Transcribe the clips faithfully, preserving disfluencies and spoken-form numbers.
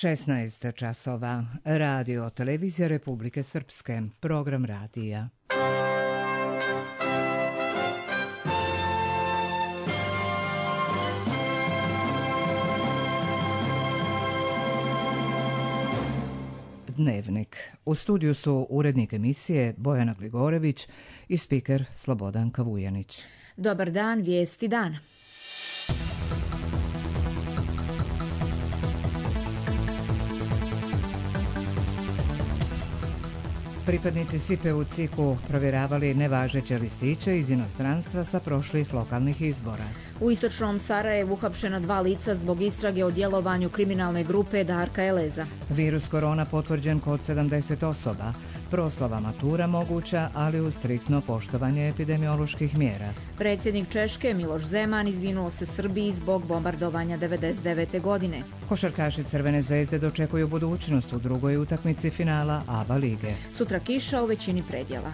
šesnaest časova. Radio Televizija Republike Srpske. Program radija. Dnevnik. U studiju su urednik emisije Bojana Gligorević i spiker Slobodan Kavujanić. Dobar dan, vijesti dana. Pripadnici S I P E u C I K-u provjeravali nevažeće listiće iz inostranstva sa prošlih lokalnih izbora. U istočnom Sarajevu uhapšena dva lica zbog istrage o djelovanju kriminalne grupe Darka Eleza. Virus korona potvrđen kod sedamdeset osoba. Proslava matura moguća, ali uz striktno poštovanje epidemioloških mjera. Predsjednik Češke Miloš Zeman izvinuo se Srbiji zbog bombardovanja devedeset devete. godine. Košarkaši Crvene zvezde dočekuju budućnost u drugoj utakmici finala A B A lige. Sutra kiša u većini predjela.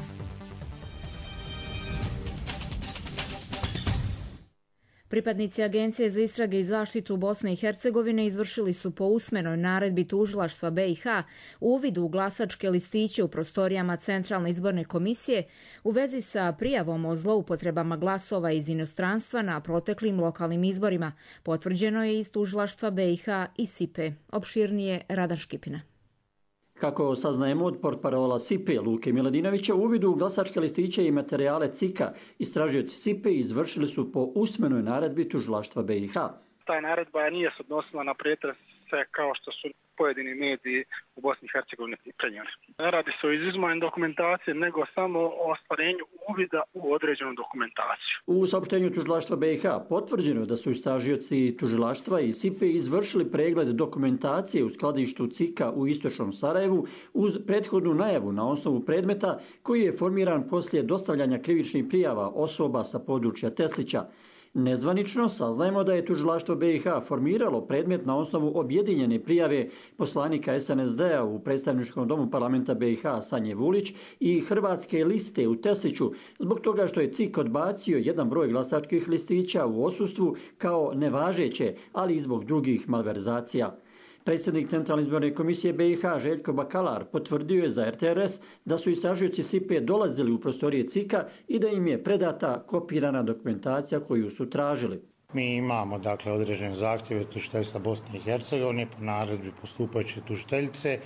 Pripadnici Agencije za istrage i zaštitu Bosne i Hercegovine izvršili su po usmenoj naredbi tužilaštva B i H uvid u glasačke listiće u prostorijama Centralne izborne komisije u vezi sa prijavom o zloupotrebama glasova iz inostranstva na proteklim lokalnim izborima. Potvrđeno je iz tužilaštva B i H i S I P E. Opširnije Radan Škipina. Kako saznajemo od portparola S I P E Luke Miladinovića, u uvidu u glasačke listiće i materijale C I K-a istražioci S I P E izvršili su po usmenoj naredbi tužilaštva B i H. Ta naredba nije se odnosila na pretrese kao što su pojedini mediji u Bosni i Hercegovini prenijeli. Ne radi se o izuzimanju dokumentacije, nego samo o ostvarenju uvida u određenu dokumentaciju. U saopštenju tužilaštva B i H potvrđeno da su istražioci tužilaštva i S I P E izvršili pregled dokumentacije u skladištu C I K-a u istočnom Sarajevu uz prethodnu najavu na osnovu predmeta koji je formiran poslije dostavljanja krivičnih prijava osoba sa područja Teslića. Nezvanično saznajemo da je tužilaštvo B i H formiralo predmet na osnovu objedinjene prijave poslanika S N S D-a u predstavničkom domu parlamenta B i H Sanje Vulić i Hrvatske liste u Tesliću zbog toga što je C I K odbacio jedan broj glasačkih listića u odsustvu kao nevažeće, ali i zbog drugih malverzacija. Predsjednik Centralne izborne komisije B i H Željko Bakalar potvrdio je za R T R S da su istražioci S I P E dolazili u prostorije C I K-a i da im je predata kopirana dokumentacija koju su tražili. Mi imamo dakle određene zahtjeve tužiteljstva Bosne i Hercegovine po naredbi postupajuće tužiteljice.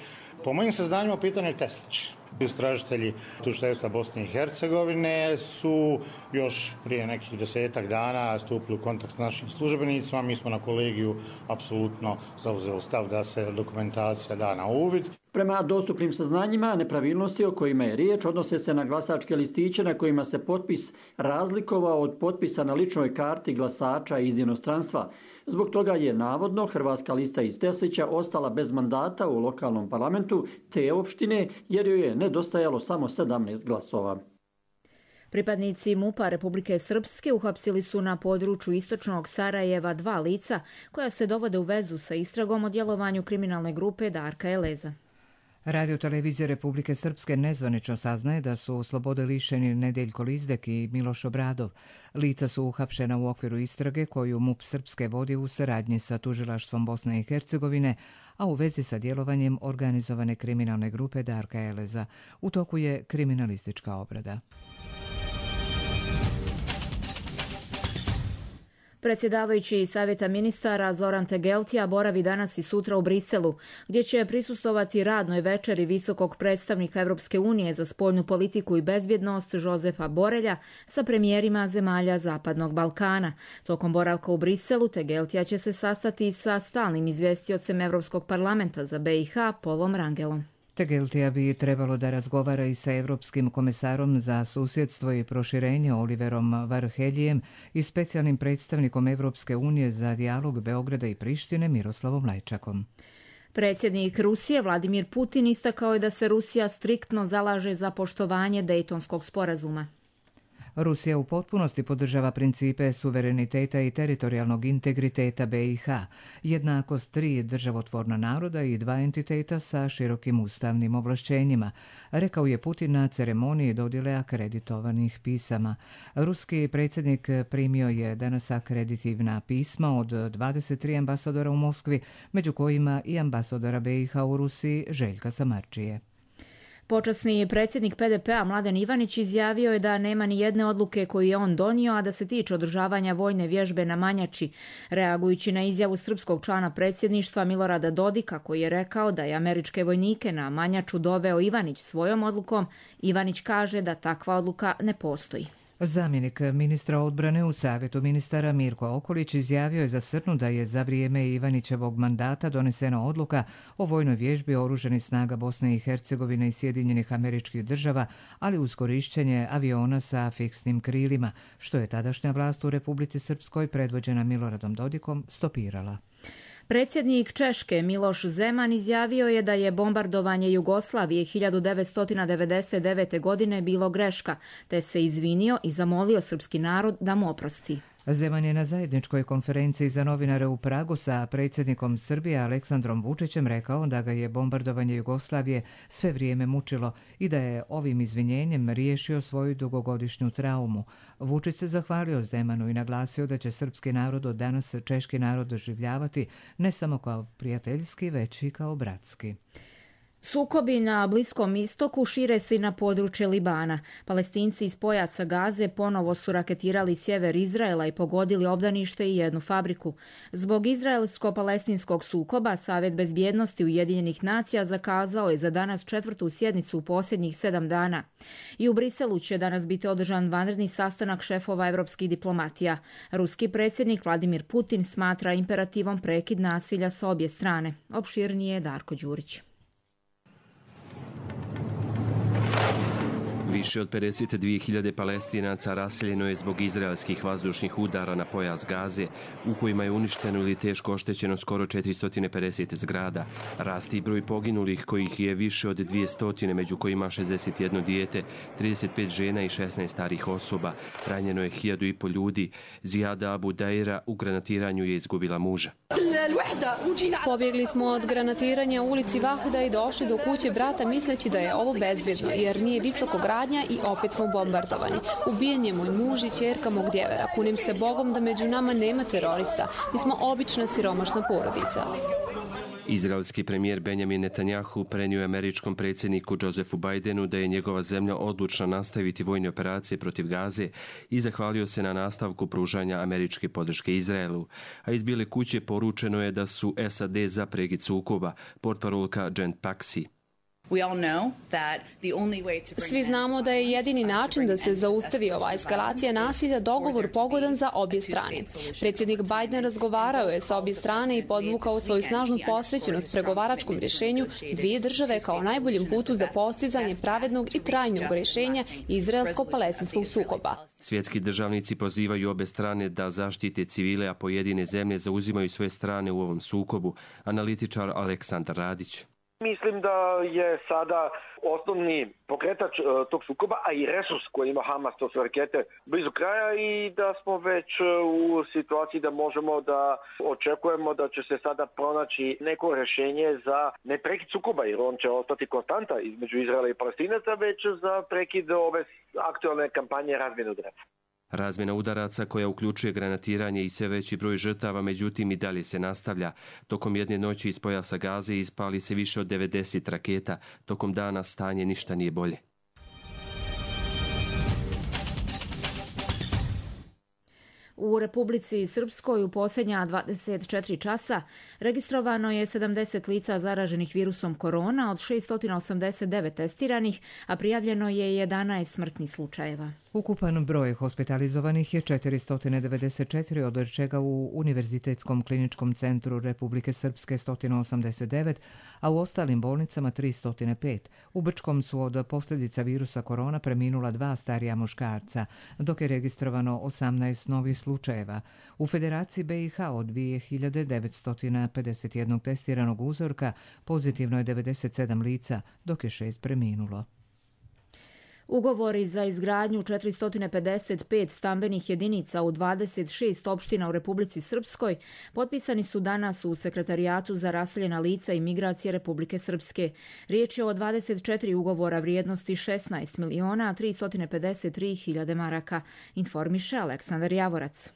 Po mojim saznanjima pitanje je Teslić. Istražitelji tužiteljstva Bosne i Hercegovine su još prije nekih desetak dana stupili u kontakt s našim službenicima. Mi smo na kolegiju apsolutno zauzeli stav da se dokumentacija da na uvid. Prema dostupnim saznanjima, nepravilnosti o kojima je riječ odnose se na glasačke listiće na kojima se potpis razlikovao od potpisa na ličnoj karti glasača iz inostranstva. Zbog toga je navodno Hrvatska lista iz Teslića ostala bez mandata u lokalnom parlamentu te opštine jer joj je nedostajalo samo sedamnaest glasova. Pripadnici M U P-a Republike Srpske uhapsili su na području istočnog Sarajeva dva lica koja se dovode u vezu sa istragom o djelovanju kriminalne grupe Darka Eleza. Radio Televizija Republike Srpske nezvanično saznaje da su slobode lišeni Nedeljko Lizdek i Miloš Obradov. Lica su uhapšena u okviru istrage koju M U P Srpske vodi u saradnji sa tužilaštvom Bosne i Hercegovine, a u vezi sa djelovanjem organizovane kriminalne grupe Darka Eleza. U toku je kriminalistička obrada. Predsjedavajući Savjeta ministara Zoran Tegeltija boravi danas i sutra u Briselu, gdje će prisustovati radnoj večeri visokog predstavnika Europske unije za spoljnu politiku i bezbjednost Jozefa Borelja sa premijerima zemalja Zapadnog Balkana. Tokom boravka u Briselu Tegeltija će se sastati sa stalnim izvjestiocem Europskog parlamenta za B i H Polom Rangelom. Tegeltija bi trebalo da razgovara i sa Europskim komesarom za susjedstvo i proširenje Oliverom Varheljijem i specijalnim predstavnikom Europske unije za dijalog Beograda i Prištine Miroslavom Lajčakom. Predsjednik Rusije Vladimir Putin istakao je da se Rusija striktno zalaže za poštovanje Dejtonskog sporazuma. Rusija u potpunosti podržava principe suvereniteta i teritorijalnog integriteta B i H, jednakost tri državotvorna naroda i dva entiteta sa širokim ustavnim ovlašćenjima, rekao je Putin na ceremoniji dodjele akreditovanih pisama. Ruski predsjednik primio je danas akreditivna pisma od dvadeset tri ambasadora u Moskvi, među kojima i ambasadora B i H u Rusiji Željka Samarđije. Počasni predsjednik P D P-a Mladen Ivanić izjavio je da nema ni jedne odluke koju je on donio, a da se tiče održavanja vojne vježbe na Manjači, reagujući na izjavu srpskog člana predsjedništva Milorada Dodika, koji je rekao da je američke vojnike na Manjaču doveo Ivanić svojom odlukom. Ivanić kaže da takva odluka ne postoji. Zamjenik ministra odbrane u Savjetu ministara Mirko Okolić izjavio je za Srnu da je za vrijeme Ivanićevog mandata donesena odluka o vojnoj vježbi oružanih snaga Bosne i Hercegovine i Sjedinjenih Američkih Država, ali uz korišćenje aviona sa fiksnim krilima, što je tadašnja vlast u Republici Srpskoj predvođena Miloradom Dodikom stopirala. Predsjednik Češke Miloš Zeman izjavio je da je bombardovanje Jugoslavije hiljadu devetsto devedeset devete. godine bilo greška, te se izvinio i zamolio srpski narod da mu oprosti. Zeman je na zajedničkoj konferenciji za novinare u Pragu sa predsjednikom Srbije Aleksandrom Vučićem rekao da ga je bombardovanje Jugoslavije sve vrijeme mučilo i da je ovim izvinjenjem riješio svoju dugogodišnju traumu. Vučić se zahvalio Zemanu i naglasio da će srpski narod od danas češki narod doživljavati ne samo kao prijateljski, već i kao bratski. Sukobi na Bliskom istoku šire se i na područje Libana. Palestinci iz pojasa Gaze ponovo su raketirali sjever Izraela i pogodili obdanište i jednu fabriku. Zbog izraelsko-palestinskog sukoba, Savjet bezbjednosti Ujedinjenih nacija zakazao je za danas četvrtu sjednicu u posljednjih sedam dana. I u Briselu će danas biti održan vanredni sastanak šefova evropskih diplomatija. Ruski predsjednik Vladimir Putin smatra imperativom prekid nasilja sa obje strane. Opširnije je Darko Đurić. Više od pedeset dvije hiljade Palestinaca raseljeno je zbog izraelskih vazdušnih udara na pojas Gaze, u kojima je uništeno ili teško oštećeno skoro četiristo pedeset zgrada. Rasti broj poginulih, kojih je više od dvjesto, među kojima šezdeset jedno dijete, trideset pet žena i šesnaest starih osoba. Ranjeno je hiljadu i po ljudi. Zijada Abu Daira u granatiranju je izgubila muža. Pobjegli smo od granatiranja u ulici Vahda i došli do kuće brata misleći da je ovo bezbjedno, jer nije visoko gradnja i opet smo bombardovani. Ubijen je moj muž i ćerka mog djevera. Kunim se Bogom da među nama nema terorista. Mi smo obična siromašna porodica. Izraelski premijer Benjamin Netanjahu prenio je američkom predsjedniku Josephu Bidenu da je njegova zemlja odlučna nastaviti vojne operacije protiv Gaze i zahvalio se na nastavku pružanja američke podrške Izraelu. A iz Bijele kuće poručeno je da su S A D za prekid sukoba, portparolka Jen Psaki. Svi znamo da je jedini način da se zaustavi ova eskalacija nasilja dogovor pogodan za obje strane. Predsjednik Biden razgovarao je sa obje strane i podvukao svoju snažnu posvećenost pregovaračkom rješenju dvije države kao najboljem putu za postizanje pravednog i trajnog rješenja izraelsko-palestinskog sukoba. Svjetski državnici pozivaju obe strane da zaštite civile, a pojedine zemlje zauzimaju svoje strane u ovom sukobu. Analitičar Aleksandar Radić. Mislim da je sada osnovni pokretač tog sukoba, a i resurs koji ima Hamas, to su rakete, blizu kraja i da smo već u situaciji da možemo da očekujemo da će se sada pronaći neko rješenje za ne prekid sukoba, jer on će ostati konstanta između Izraela i Palestinaca, već za prekid ove aktualne kampanje razmjene udaraca. Razmjena udaraca koja uključuje granatiranje i sve veći broj žrtava, međutim i dalje se nastavlja. Tokom jedne noći iz pojasa Gaze ispali se više od devedeset raketa. Tokom dana stanje ništa nije bolje. U Republici Srpskoj u posljednja dvadeset četiri časa registrovano je sedamdeset lica zaraženih virusom korona od šesto osamdeset devet testiranih, a prijavljeno je jedanaest smrtnih slučajeva. Ukupan broj hospitalizovanih je četiristo devedeset četiri, od čega u Univerzitetskom kliničkom centru Republike Srpske sto osamdeset devet, a u ostalim bolnicama tristo pet. U Brčkom su od posljedica virusa korona preminula dva starija muškarca, dok je registrovano osamnaest novih slučajeva. U Federaciji B i H od dvije hiljade devetsto pedeset jedan testiranog uzorka pozitivno je devedeset sedam lica, dok je šest preminulo. Ugovori za izgradnju četiristo pedeset pet stambenih jedinica u dvadeset šest opština u Republici Srpskoj potpisani su danas u Sekretarijatu za raseljena lica i migracije Republike Srpske. Riječ je o dvadeset četiri ugovora vrijednosti šesnaest miliona tristo pedeset tri hiljade maraka, informiše Aleksandar Javorac.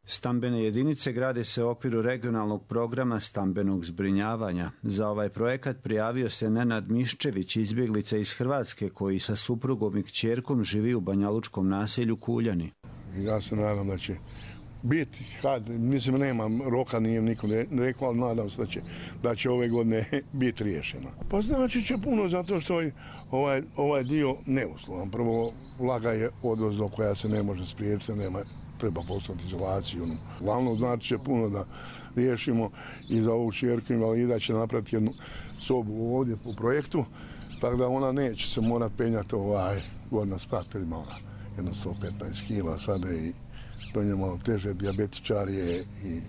Stambene jedinice grade se u okviru regionalnog programa stambenog zbrinjavanja. Za ovaj projekat prijavio se Nenad Miščević, izbjeglica iz Hrvatske koji sa suprugom i kćerkom živi u banjalučkom naselju Kuljani. Ja se nadam da će biti, kad, mislim nemam roka, nije nikom rekao, ali nadam se da će, da će ove godine biti riješeno. Pa znači će puno zato što je ovaj, ovaj dio neuslovan. Prvo, vlaga je odvozno koja se ne može spriječiti, nema treba poslati izolaciju. Glavno znači će puno da riješimo i za ovu čerku invalida će napraviti jednu sobu ovdje po projektu, tako da ona neće se morati penjati ovaj godina sprat, jer ima jedno sto petnaest kila sada i to je malo teže, dijabetičar je i,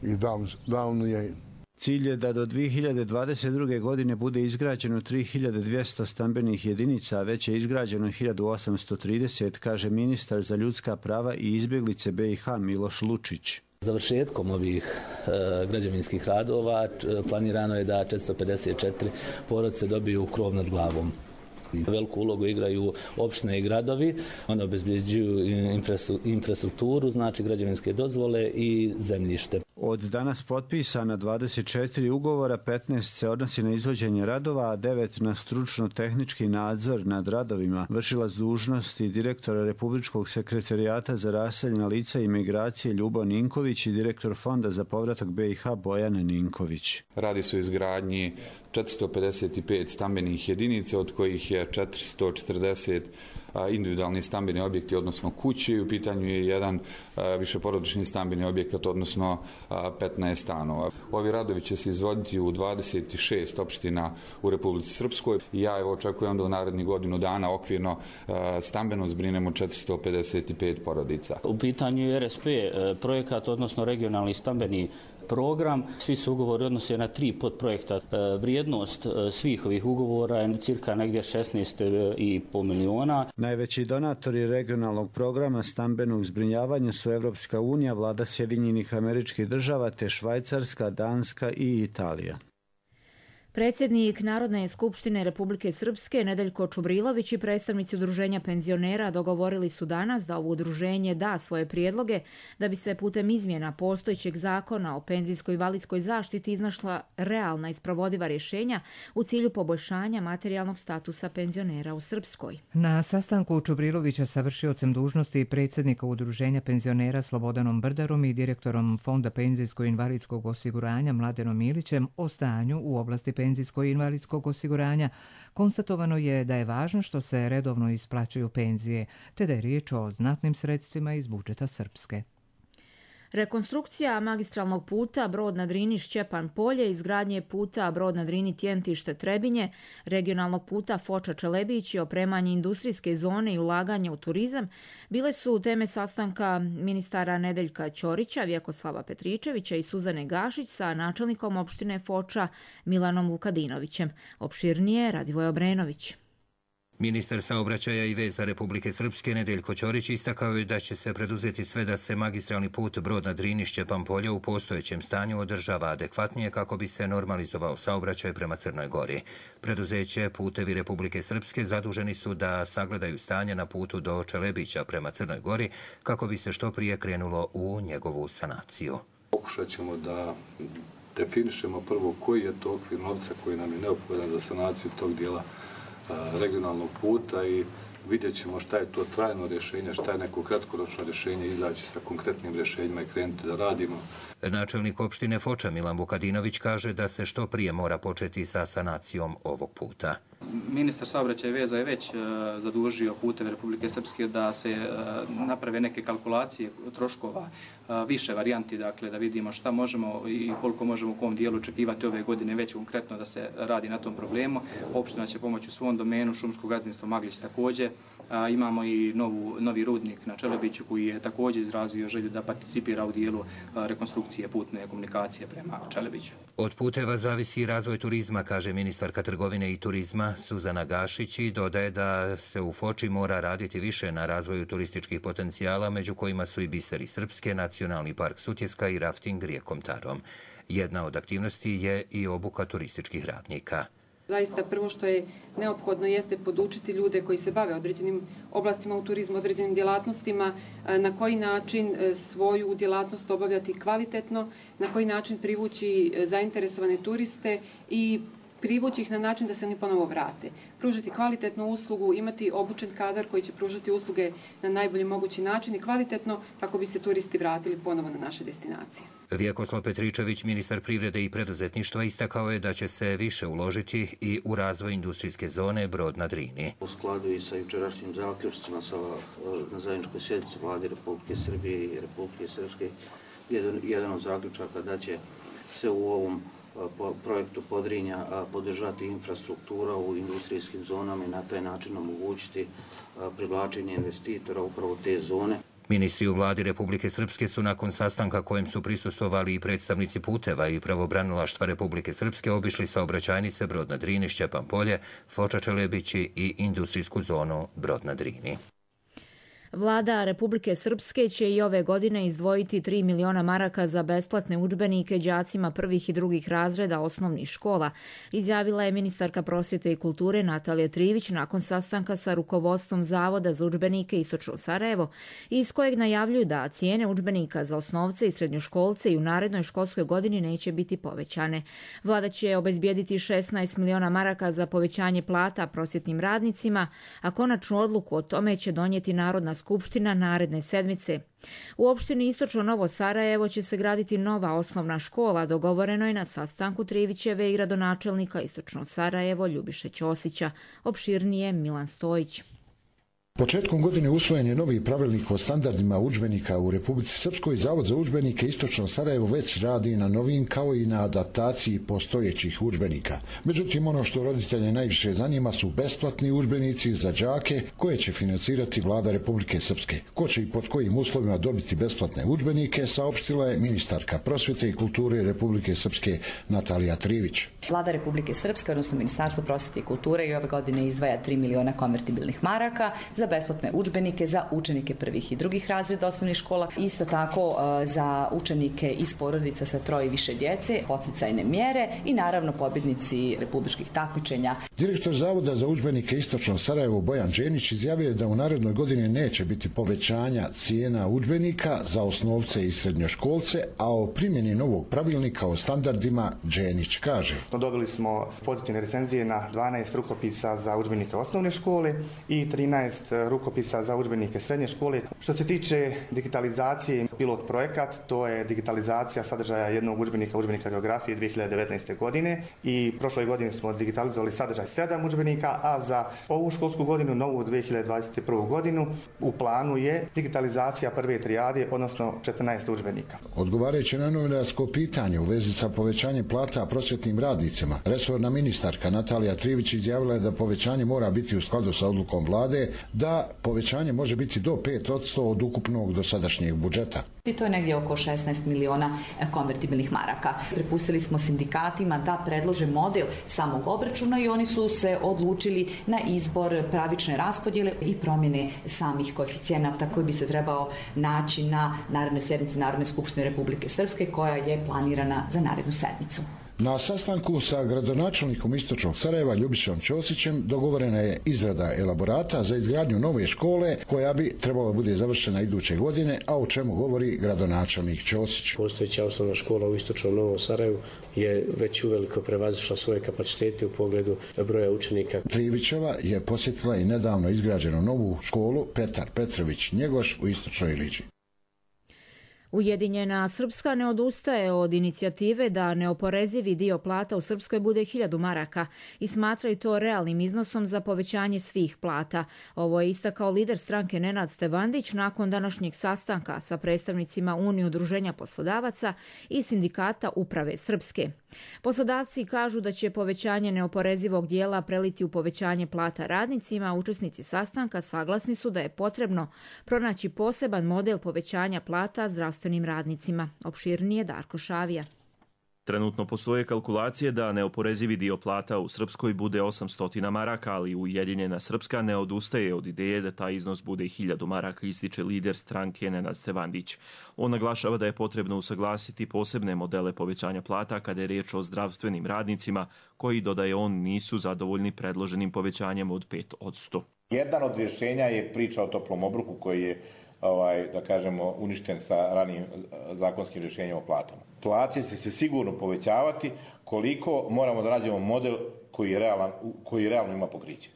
i Down, Down je. Cilj je da do dvije hiljade dvadeset druge. godine bude izgrađeno tri hiljade dvjesto stambenih jedinica, a već je izgrađeno hiljadu osamsto trideset, kaže ministar za ljudska prava i izbjeglice B i H Miloš Lučić. Završetkom ovih e, građevinskih radova planirano je da četiristo pedeset četiri porodice dobiju krov nad glavom. Veliku ulogu igraju opštine i gradovi, one obezbjeđuju infrastrukturu, znači građevinske dozvole i zemljište. Od danas potpisana dvadeset četiri ugovora, petnaest se odnosi na izvođenje radova, a devet na stručno-tehnički nadzor nad radovima. Vršilac dužnosti direktora Republičkog sekretarijata za raseljena lica i migracije Ljubo Ninković i direktor Fonda za povratak B i H Bojan Ninković. Radi se o izgradnji četiristo pedeset pet stambenih jedinica, od kojih je četiristo četrdeset individualni stambeni objekti, odnosno kuće. U pitanju je jedan višeporodični stambeni objekat, odnosno petnaest stanova. Ovi radovi će se izvoditi u dvadeset šest opština u Republici Srpskoj i ja evo očekujem da u narednih godinu dana okvirno stambeno zbrinemo četiristo pedeset pet porodica. U pitanju je R S P projekat, odnosno regionalni stambeni program. Svi se ugovori odnose na tri podprojekta. Vrijednost svih ovih ugovora je cirka negdje šesnaest i pol miliona. Najveći donatori regionalnog programa stambenog zbrinjavanja su Evropska unija, vlada Sjedinjenih Američkih Država te Švajcarska, Danska i Italija. Predsjednik Narodne skupštine Republike Srpske Nedeljko Čubrilović i predstavnici udruženja penzionera dogovorili su danas da ovo udruženje da svoje prijedloge da bi se putem izmjena postojećeg zakona o penzijskoj i invalidskoj zaštiti iznašla realna i sprovodiva rješenja u cilju poboljšanja materijalnog statusa penzionera u Srpskoj. Na sastanku Čubrilovića sa vršiocem dužnosti predsjednika udruženja penzionera Slobodanom Brdarom i direktorom Fonda penzijskog i invalidskog osiguranja Mladenom Milićem o stanju u oblasti penzijskog penzijskog i invalidskog osiguranja, konstatovano je da je važno što se redovno isplaćuju penzije, te da je riječ o znatnim sredstvima iz budžeta Srpske. Rekonstrukcija magistralnog puta Brod na Drini Šćepan Polje, izgradnje puta Brod na Drini Tjentište Trebinje, regionalnog puta Foča Čelebić i opremanje industrijske zone i ulaganje u turizam bile su teme sastanka ministara Nedeljka Ćorića, Vjekoslava Petričevića i Suzane Gašić sa načelnikom opštine Foča Milanom Vukadinovićem. Opširnije Radivoj Obrenović. Ministar saobraćaja i veza Republike Srpske Nedeljko Ćorić istakao je da će se preduzeti sve da se magistralni put Brod na Drini Šćepan Polje u postojećem stanju održava adekvatnije kako bi se normalizovao saobraćaj prema Crnoj Gori. Preduzeće Putevi Republike Srpske zaduženi su da sagledaju stanje na putu do Čelebića prema Crnoj Gori kako bi se što prije krenulo u njegovu sanaciju. Pokušat ćemo da definišemo prvo koji je to okvir novca koji nam je neophodan za sanaciju tog dijela regionalnog puta i vidjet ćemo šta je to trajno rješenje, šta je neko kratkoročno rješenje, izaći sa konkretnim rješenjima i krenuti da radimo. Načelnik opštine Foča Milan Vukadinović kaže da se što prije mora početi sa sanacijom ovog puta. Ministar saobraćaja i veza je već zadužio Puteve Republike Srpske da se naprave neke kalkulacije troškova, više varijanti, dakle da vidimo šta možemo i koliko možemo u kom dijelu očekivati ove godine već konkretno da se radi na tom problemu. Opština će pomoći u svom domenu, šumsko gazdinstvo Maglić također. Imamo i novu, novi rudnik na Čelebiću koji je također izrazio želju da participira u dijelu rekonstrukcije putne komunikacije prema Čelebiću. Od puteva zavisi razvoj turizma, kaže ministarka trgovine i turizma turizma Suzana Gašić i dodaje da se u Foči mora raditi više na razvoju turističkih potencijala, među kojima su i biseri Srpske, Nacionalni park Sutjeska i rafting rijekom Tarom. Jedna od aktivnosti je i obuka turističkih radnika. Zaista prvo što je neophodno jeste podučiti ljude koji se bave određenim oblastima u turizmu, određenim djelatnostima, na koji način svoju djelatnost obavljati kvalitetno, na koji način privući zainteresovane turiste i privući ih na način da se oni ponovo vrate. Pružiti kvalitetnu uslugu, imati obučen kadar koji će pružati usluge na najbolji mogući način i kvalitetno kako bi se turisti vratili ponovo na naše destinacije. Vjekoslav Petričević, ministar privrede i preduzetništva, istakao je da će se više uložiti i u razvoj industrijske zone Brod na Drini. U skladu i sa jučerašnjim zaključcima na zajedničkoj sjednici Vlade Republike Srbije i Republike Srpske, jedan od zaključaka da će se u ovom projektu Podrinja podržati infrastruktura u industrijskim zonama i na taj način omogućiti privlačenje investitora upravo u te zone. Ministri u vladi Republike Srpske su nakon sastanka kojem su prisustvovali i predstavnici puteva i pravobranilaštva Republike Srpske obišli saobraćajnice Brod na Drini, Šćepan Polje, Foča Čelebići i industrijsku zonu Brod na Drini. Vlada Republike Srpske će i ove godine izdvojiti tri miliona maraka za besplatne udžbenike đacima prvih i drugih razreda osnovnih škola, izjavila je ministarka prosvjete i kulture Natalija Trivić nakon sastanka sa rukovodstvom Zavoda za udžbenike Istočno Sarajevo, iz kojeg najavljuju da cijene udžbenika za osnovce i srednjoškolce i u narednoj školskoj godini neće biti povećane. Vlada će obezbijediti šesnaest miliona maraka za povećanje plata prosvjetnim radnicima, a konačnu odluku o tome će donijeti Narodna skupština naredne sedmice. U opštini Istočno Novo Sarajevo će se graditi nova osnovna škola, dogovoreno je na sastanku Trivićeve i gradonačelnika Istočno Sarajevo Ljubiše Ćosića. Opširnije Milan Stojić. Početkom godine usvojen je novi pravilnik o standardima udžbenika u Republici Srpskoj. Zavod za udžbenike Istočno Sarajevo već radi na novim kao i na adaptaciji postojećih udžbenika. Međutim, ono što roditelje najviše zanima su besplatni udžbenici za đake koje će financirati vlada Republike Srpske. Ko će i pod kojim uslovima dobiti besplatne udžbenike, saopštila je ministarka prosvjete i kulture Republike Srpske Natalija Trivić. Vlada Republike Srpske, odnosno Ministarstvo prosvjete i kulture, i ove godine izdvaja tri miliona konvertibilnih maraka za besplatne udžbenike za učenike prvih i drugih razreda osnovnih škola. Isto tako za učenike iz porodica sa troje i više djece, podsticajne mjere i naravno pobjednici republičkih takmičenja. Direktor Zavoda za udžbenike Istočno Sarajevo Bojan Đenić izjavio je da u narednoj godini neće biti povećanja cijena udžbenika za osnovce i srednjoškolce, a o primjeni novog pravilnika o standardima Đenić kaže. Dobili smo pozitivne recenzije na dvanaest rukopisa za udžbenike osnovne škole i trinaest rukopisa za udžbenike srednje škole. Što se tiče digitalizacije, pilot projekat, to je digitalizacija sadržaja jednog udžbenika, udžbenika geografije dvije hiljade devetnaeste. godine i prošle godine smo digitalizovali sadržaj sedam udžbenika, a za ovu školsku godinu, novu dvije hiljade dvadeset prvu. godinu, u planu je digitalizacija prve trijade, odnosno četrnaest udžbenika. Odgovarajući na novinarsko pitanje u vezi sa povećanjem plata prosvjetnim radnicima, resorna ministarka Natalija Trivić izjavila je da povećanje mora biti u skladu sa odlukom vlade, da povećanje može biti do pet posto od ukupnog dosadašnjeg budžeta. I to je negdje oko šesnaest miliona konvertibilnih maraka. Prepustili smo sindikatima da predlože model samog obračuna i oni su se odlučili na izbor pravične raspodjele i promjene samih koeficijenata koji bi se trebao naći na narednoj sjednici Narodne skupštine Republike Srpske koja je planirana za narednu sedmicu. Na sastanku sa gradonačelnikom Istočnog Sarajeva Ljubišom Ćosićem dogovorena je izrada elaborata za izgradnju nove škole koja bi trebala bude završena iduće godine, a o čemu govori gradonačelnik Ćosić. Postojeća osnovna škola u Istočnom Novom Sarajevu je već uveliko prevazišla svoje kapacitete u pogledu broja učenika. Trivićeva je posjetila i nedavno izgrađenu novu školu Petar Petrović Njegoš u Istočnoj Liđi. Ujedinjena Srpska ne odustaje od inicijative da neoporezivi dio plata u Srpskoj bude hiljadu maraka i smatraju to realnim iznosom za povećanje svih plata. Ovo je istakao lider stranke Nenad Stevandić nakon današnjeg sastanka sa predstavnicima Unije udruženja poslodavaca i sindikata Uprave Srpske. Poslodavci kažu da će povećanje neoporezivog dijela preliti u povećanje plata radnicima, a učesnici sastanka saglasni su da je potrebno pronaći poseban model povećanja plata zdravstvenim radnicima. Opširnije Darko Šavija. Trenutno postoje kalkulacije da neoporezivi dio plata u Srpskoj bude osamsto maraka, ali Ujedinjena Srpska ne odustaje od ideje da taj iznos bude i hiljadu maraka, ističe lider stranke Nenad Stevandić. On naglašava da je potrebno usaglasiti posebne modele povećanja plata kada je riječ o zdravstvenim radnicima, koji, dodaje on, nisu zadovoljni predloženim povećanjem od pet posto. Jedan od rješenja je priča o toplom obroku koji je ovaj, da kažemo, uništen sa ranijim zakonskim rješenjem o platama. Plate će se sigurno povećavati koliko moramo da nađemo model koji je realan, koji realno ima pokriće.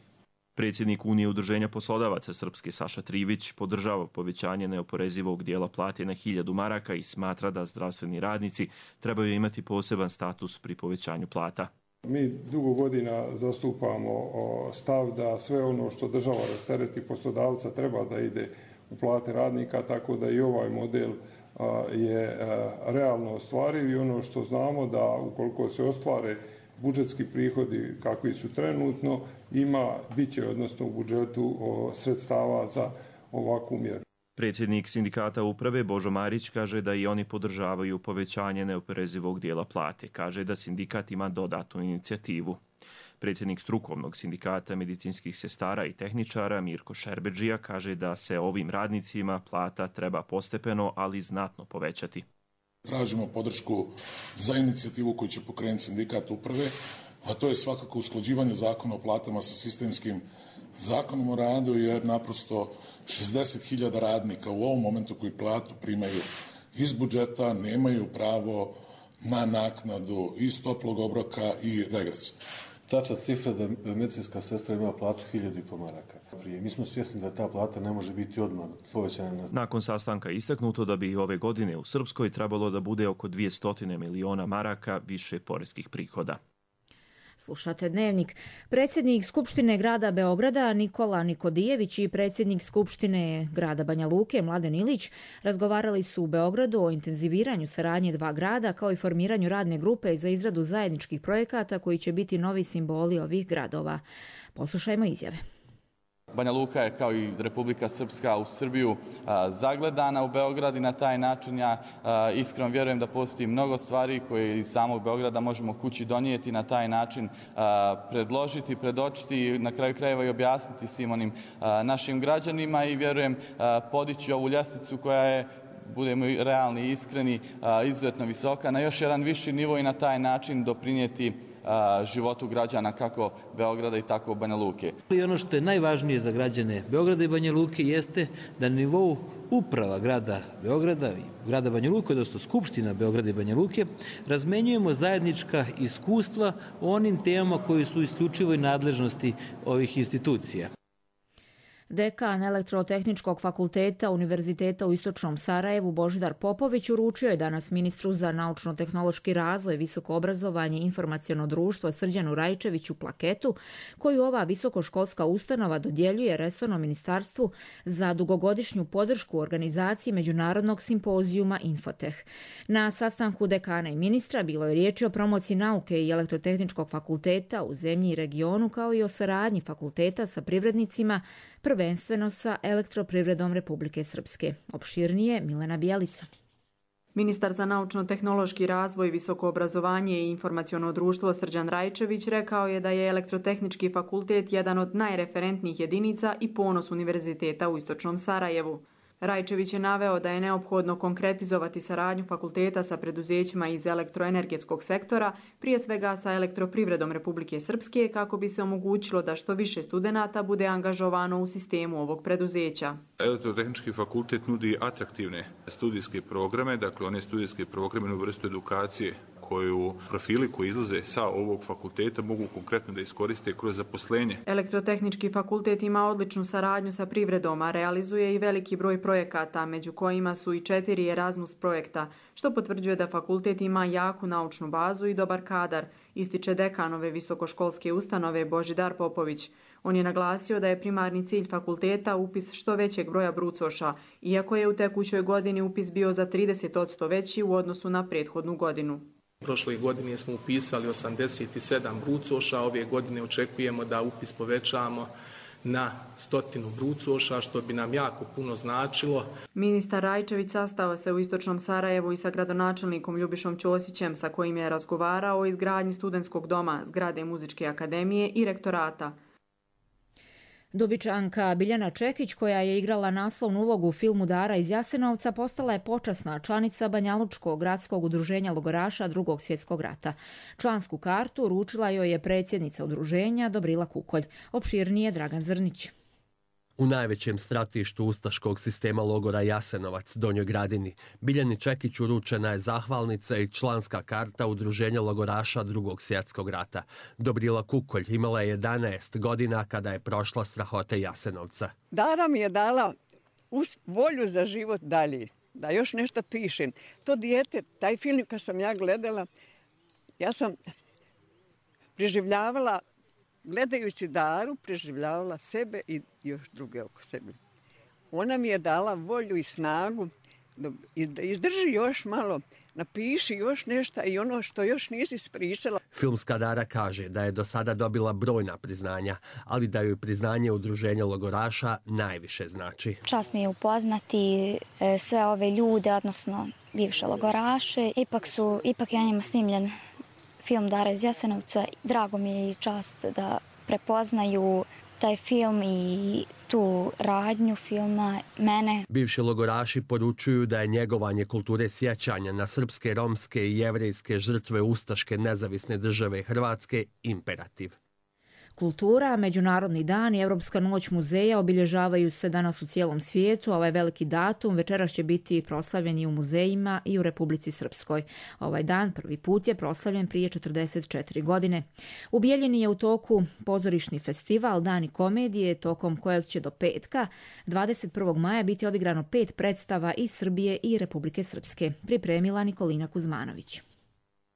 Predsjednik Unije udruženja poslodavaca Srpske Saša Trivić podržava povećanje neoporezivog dijela plate na hiljadu maraka i smatra da zdravstveni radnici trebaju imati poseban status pri povećanju plata. Mi dugo godina zastupamo stav da sve ono što država rastereti poslodavca treba da ide u plate radnika, tako da i ovaj model je realno ostvariv i ono što znamo da ukoliko se ostvare budžetski prihodi kakvi su trenutno, ima, bit će odnosno u budžetu sredstava za ovakvu mjeru. Predsjednik sindikata uprave Božo Marić kaže da i oni podržavaju povećanje neoporezivog dijela plate. Kaže da sindikat ima dodatnu inicijativu. Predsjednik strukovnog sindikata medicinskih sestara i tehničara Mirko Šerbedžija kaže da se ovim radnicima plata treba postepeno, ali znatno povećati. Tražimo podršku za inicijativu koju će pokrenuti sindikat uprave, a to je svakako usklađivanje zakona o platama sa sistemskim zakonom o radu, jer naprosto šezdeset hiljada radnika u ovom momentu koji platu primaju iz budžeta nemaju pravo na naknadu iz toplog obroka i regresa. Tačna cifra da medicinska sestra ima platu hiljadu i po maraka. Prije. Mi smo svjesni da ta plata ne može biti odmah povećana. Nakon sastanka istaknuto da bi ove godine u Srpskoj trebalo da bude oko dvjesto miliona maraka više poreskih prihoda. Slušate Dnevnik. Predsjednik Skupštine grada Beograda Nikola Nikodijević i predsjednik Skupštine grada Banja Luke Mladen Ilić razgovarali su u Beogradu o intenziviranju saradnje dva grada kao i formiranju radne grupe za izradu zajedničkih projekata koji će biti novi simboli ovih gradova. Poslušajmo izjave. Banja Luka je kao i Republika Srpska u Srbiju a, zagledana u Beograd i na taj način ja a, iskreno vjerujem da postoji mnogo stvari koje iz samog Beograda možemo kući donijeti i na taj način a, predložiti, predočiti i na kraju krajeva i objasniti svim onim a, našim građanima i vjerujem a, podići ovu ljestvicu koja je, budemo realni i iskreni, a, izuzetno visoka, na još jedan viši nivo i na taj način doprinijeti životu građana kako Beograda i tako Banja Luke. I ono što je najvažnije za građane Beograda i Banja Luke jeste da na nivou uprava grada Beograda i grada Banja Luke, odnosno Skupština Beograda i Banja Luke, razmenjujemo zajednička iskustva o onim temama koji su isključivoj nadležnosti ovih institucija. Dekan Elektrotehničkog fakulteta Univerziteta u Istočnom Sarajevu Božidar Popović uručio je danas ministru za naučno-tehnološki razvoj, visoko obrazovanje i informaciono društvo Srđanu Rajčeviću plaketu koju ova visokoškolska ustanova dodjeljuje resornom ministarstvu za dugogodišnju podršku u organizaciji međunarodnog simpozijuma Infoteh. Na sastanku dekana i ministra bilo je riječi o promociji nauke i Elektrotehničkog fakulteta u zemlji i regionu kao i o saradnji fakulteta sa privrednicima, prvenstveno sa Elektroprivredom Republike Srpske. Opširnije Milena Bijelica. Ministar za naučno-tehnološki razvoj, visoko obrazovanje i informaciono društvo Srđan Rajčević rekao je da je Elektrotehnički fakultet jedan od najreferentnijih jedinica i ponos univerziteta u Istočnom Sarajevu. Rajčević je naveo da je neophodno konkretizovati saradnju fakulteta sa preduzećima iz elektroenergetskog sektora, prije svega sa Elektroprivredom Republike Srpske, kako bi se omogućilo da što više studenata bude angažovano u sistemu ovog preduzeća. Elektrotehnički fakultet nudi atraktivne studijske programe, dakle one studijske programe u vrstu edukacije koju profili koji izlaze sa ovog fakulteta mogu konkretno da iskoriste kroz zaposlenje. Elektrotehnički fakultet ima odličnu saradnju sa privredom, a realizuje i veliki broj projekata, među kojima su i četiri Erasmus projekta, što potvrđuje da fakultet ima jaku naučnu bazu i dobar kadar, ističe dekanove visokoškolske ustanove Božidar Popović. On je naglasio da je primarni cilj fakulteta upis što većeg broja brucoša, iako je u tekućoj godini upis bio za trideset posto veći u odnosu na prethodnu godinu. Prošle godine smo upisali osamdeset sedam brucoša, ove godine očekujemo da upis povećamo na stotinu brucoša, što bi nam jako puno značilo. Ministar Rajčević sastao se u istočnom Sarajevu i sa gradonačelnikom Ljubišom Ćosićem, sa kojim je razgovarao o izgradnji studentskog doma, zgrade Muzičke akademije i rektorata. Dubičanka Biljana Čekić, koja je igrala naslovnu ulogu u filmu Dara iz Jasenovca, postala je počasna članica Banjalučkog gradskog udruženja logoraša Drugog svjetskog rata. Člansku kartu uručila joj je predsjednica udruženja Dobrila Kukolj. Opširnije Dragan Zrnić. U najvećem stratištu ustaškog sistema logora Jasenovac, Donjoj Gradini, Biljani Čekić uručena je zahvalnica i članska karta udruženja logoraša Drugog svjetskog rata. Dobrila Kukolj imala je jedanaest godina kada je prošla strahote Jasenovca. Dara mi je dala volju za život dalje, da još nešto pišem. To dijete, taj film kad sam ja gledala, ja sam preživljavala, gledajući Daru, preživljavala sebe i još druge oko sebe. Ona mi je dala volju i snagu da izdrži još malo, napiši još nešto i ono što još nisi ispričala. Filmska Dara kaže da je do sada dobila brojna priznanja, ali da joj priznanje udruženja logoraša najviše znači. Čast mi je upoznati sve ove ljude, odnosno bivše logoraše. Ipak, su, ipak je njima snimljen film Dara iz Jasenovca. Drago mi je i čast da prepoznaju taj film i tu radnju filma mene. Bivši logoraši poručuju da je njegovanje kulture sjećanja na srpske, romske i jevrejske žrtve ustaške nezavisne države Hrvatske imperativ. Kultura, Međunarodni dan i Europska noć muzeja obilježavaju se danas u cijelom svijetu. Ovaj veliki datum večeras će biti proslavljen i u muzejima i u Republici Srpskoj. Ovaj dan prvi put je proslavljen prije četrdeset četiri godine. U Bijeljini je u toku pozorišni festival Dani komedije, tokom kojeg će do petka, dvadeset prvog maja, biti odigrano pet predstava iz Srbije i Republike Srpske. Pripremila Nikolina Kuzmanović.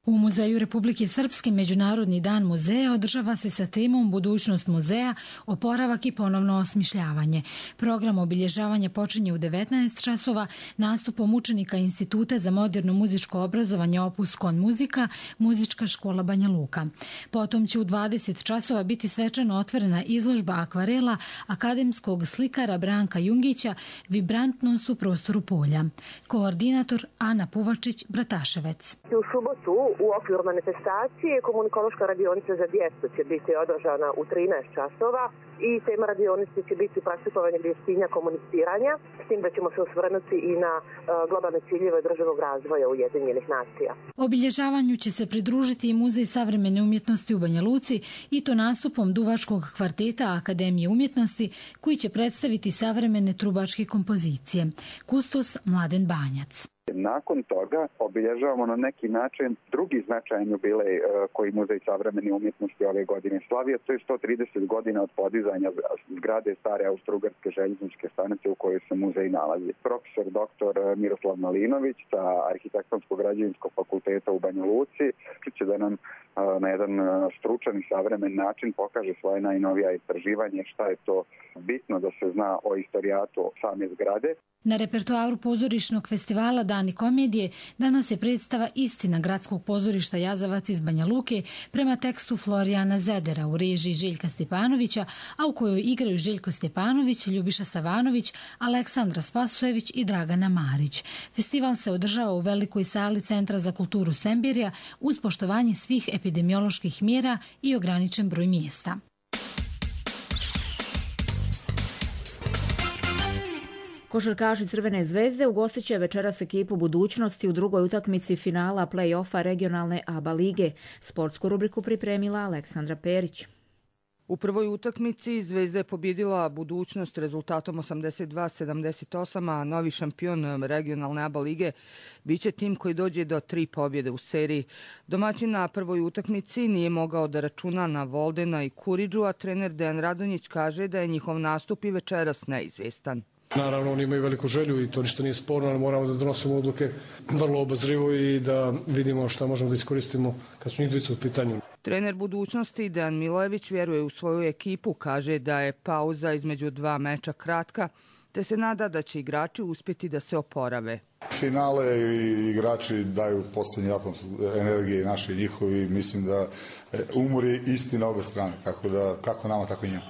U Muzeju Republike Srpske Međunarodni dan muzeja održava se sa temom Budućnost muzeja, oporavak i ponovno osmišljavanje. Program obilježavanja počinje u devetnaest časova nastupom učenika Instituta za moderno muzičko obrazovanje Opus Kon Muzika, Muzička škola Banja Luka. Potom će u dvadeset časova biti svečano otvorena izložba akvarela akademskog slikara Branka Jungića Vibrantnost u prostoru polja. Koordinator Ana Puvačić, Brataševec. U subotu u okviru manifestacije komunikološka radionica za djecu će biti održana u trinaest časova i tema radionice će biti praktikovanje vještina komuniciranja, s tim da ćemo se osvrnuti i na uh, globalne ciljeve održivog razvoja Ujedinjenih nacija. Obilježavanju će se pridružiti i Muzej savremene umjetnosti u Banja Luci i to nastupom duvačkog kvarteta Akademije umjetnosti koji će predstaviti savremene trubačke kompozicije. Kustos Mladen Banjac. Nakon toga obilježavamo na neki način drugi značajan jubilej koji Muzej savremene umjetnosti ove godine slavio. To je sto trideset godina od podizanja zgrade stare Austro-Ugarske željezničke stanice u kojoj se muzej nalazi. Profesor doktor Miroslav Malinović sa Arhitektonsko-građevinskog fakulteta u Banja Luci će da nam na jedan stručan i savremen način pokaže svoje najnovija istraživanje, šta je to bitno da se zna o istorijatu same zgrade. Na repertoaru pozorišnog festivala Dani komedije danas je predstava Istina gradskog pozorišta Jazavac iz Banja Luke prema tekstu Florijana Zedera u režiji Željka Stepanovića, a u kojoj igraju Željko Stepanović, Ljubiša Savanović, Aleksandra Spasojević i Dragana Marić. Festival se održava u velikoj sali Centra za kulturu Sembirja uz poštovanje svih epidemioloških mjera i ograničen broj mjesta. Košarkaši Crvene zvezde ugostit će večeras ekipu Budućnosti u drugoj utakmici finala play-offa regionalne A B A lige. Sportsku rubriku pripremila Aleksandra Perić. U prvoj utakmici Zvezda je pobjedila Budućnost rezultatom osamdeset dva sedamdeset osam, a novi šampion regionalne A B A lige biće tim koji dođe do tri pobjede u seriji. Domaćin na prvoj utakmici nije mogao da računa na Voldena i Kuriđu, a trener Dejan Radonjić kaže da je njihov nastup i večeras neizvjestan. Naravno, oni imaju veliku želju i to ništa nije sporno, ali moramo da donosimo odluke vrlo obazrivo i da vidimo šta možemo da iskoristimo kad su njih dvojica u pitanju. Trener Budućnosti Dejan Milojević vjeruje u svoju ekipu, kaže da je pauza između dva meča kratka, te se nada da će igrači uspjeti da se oporave. Finale i igrači daju posljednji atom energije naše i njihovi. Mislim da umor je isti na obe strane, tako da kako nama, tako i njima.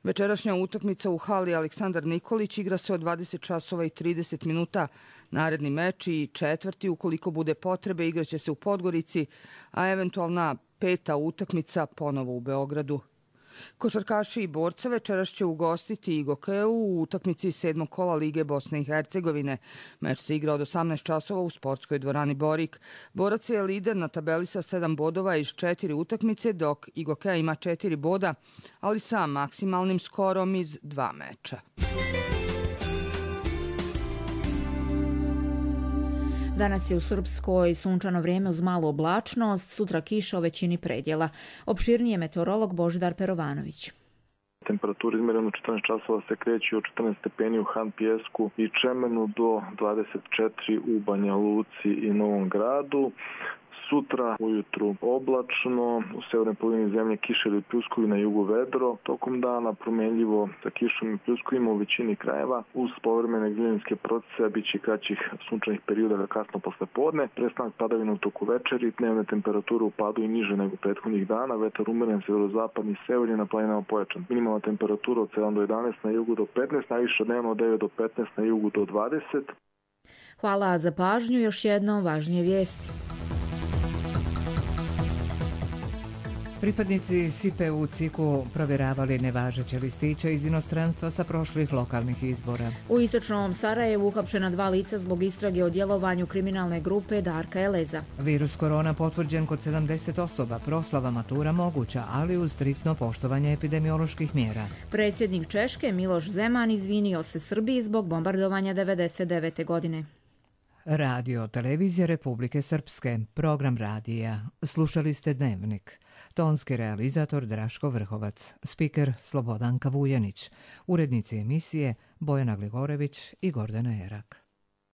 Večerašnja utakmica u hali Aleksandar Nikolić igra se od dvadeset časova i trideset minuta. Naredni meč i četvrti, ukoliko bude potrebe, igraće se u Podgorici, a eventualna peta utakmica ponovo u Beogradu. Košarkaši i borca večeras će ugostiti i Gokeu u utakmici sedmog kola Lige Bosne i Hercegovine. Meč se igra od osamnaest časova u sportskoj dvorani Borik. Borac je lider na tabeli sa sedam bodova iz četiri utakmice, dok i Gokea ima četiri boda, ali sa maksimalnim skorom iz dva meča. Danas je u Srpskoj sunčano vrijeme uz malu oblačnost, sutra kiša u većini predjela. Opširnije meteorolog Božidar Perovanović. Temperatura izmjerena u četrnaest časova se kreće od četrnaest stepeni u Han Pijesku i Čemenu do dvadeset četiri u Banja Luci i Novom Gradu. Sutra ujutru oblačno, u severnoj polovini zemlje kiša ili pljuskovi, na jugu vedro. Tokom dana promenljivo sa kišom i pljuskovima u većini krajeva. Uz povremene glininske procese biće kraćih sunčanih perioda kasno posle podne. Prestanak padavina u toku večeri, dnevne temperature u padu i niže nego prethodnih dana. Vetar umeren severozapadni i severni, na planinama pojačan. Minimalna temperatura od sedam do jedanaest, na jugu do petnaest, najviša dnevno od devet do petnaest, na jugu do dvadeset. Hvala za pažnju, još jednom važnije vijesti. Pripadnici S I P-a u Ciku provjeravali nevažeće listiće iz inostranstva sa prošlih lokalnih izbora. U istočnom Sarajevu uhapšena dva lica zbog istrage o djelovanju kriminalne grupe Darka Eleza. Virus korona potvrđen kod sedamdeset osoba, proslava matura moguća, ali uz striktno poštovanje epidemioloških mjera. Predsjednik Češke Miloš Zeman izvinio se Srbiji zbog bombardovanja devedeset devete. godine. Radio Televizija Republike Srpske, program radija. Slušali ste Dnevnik. Tonski realizator Draško Vrhovac, spiker Slobodanka Vujanić, urednici emisije Bojana Gligorević i Gordana Erak.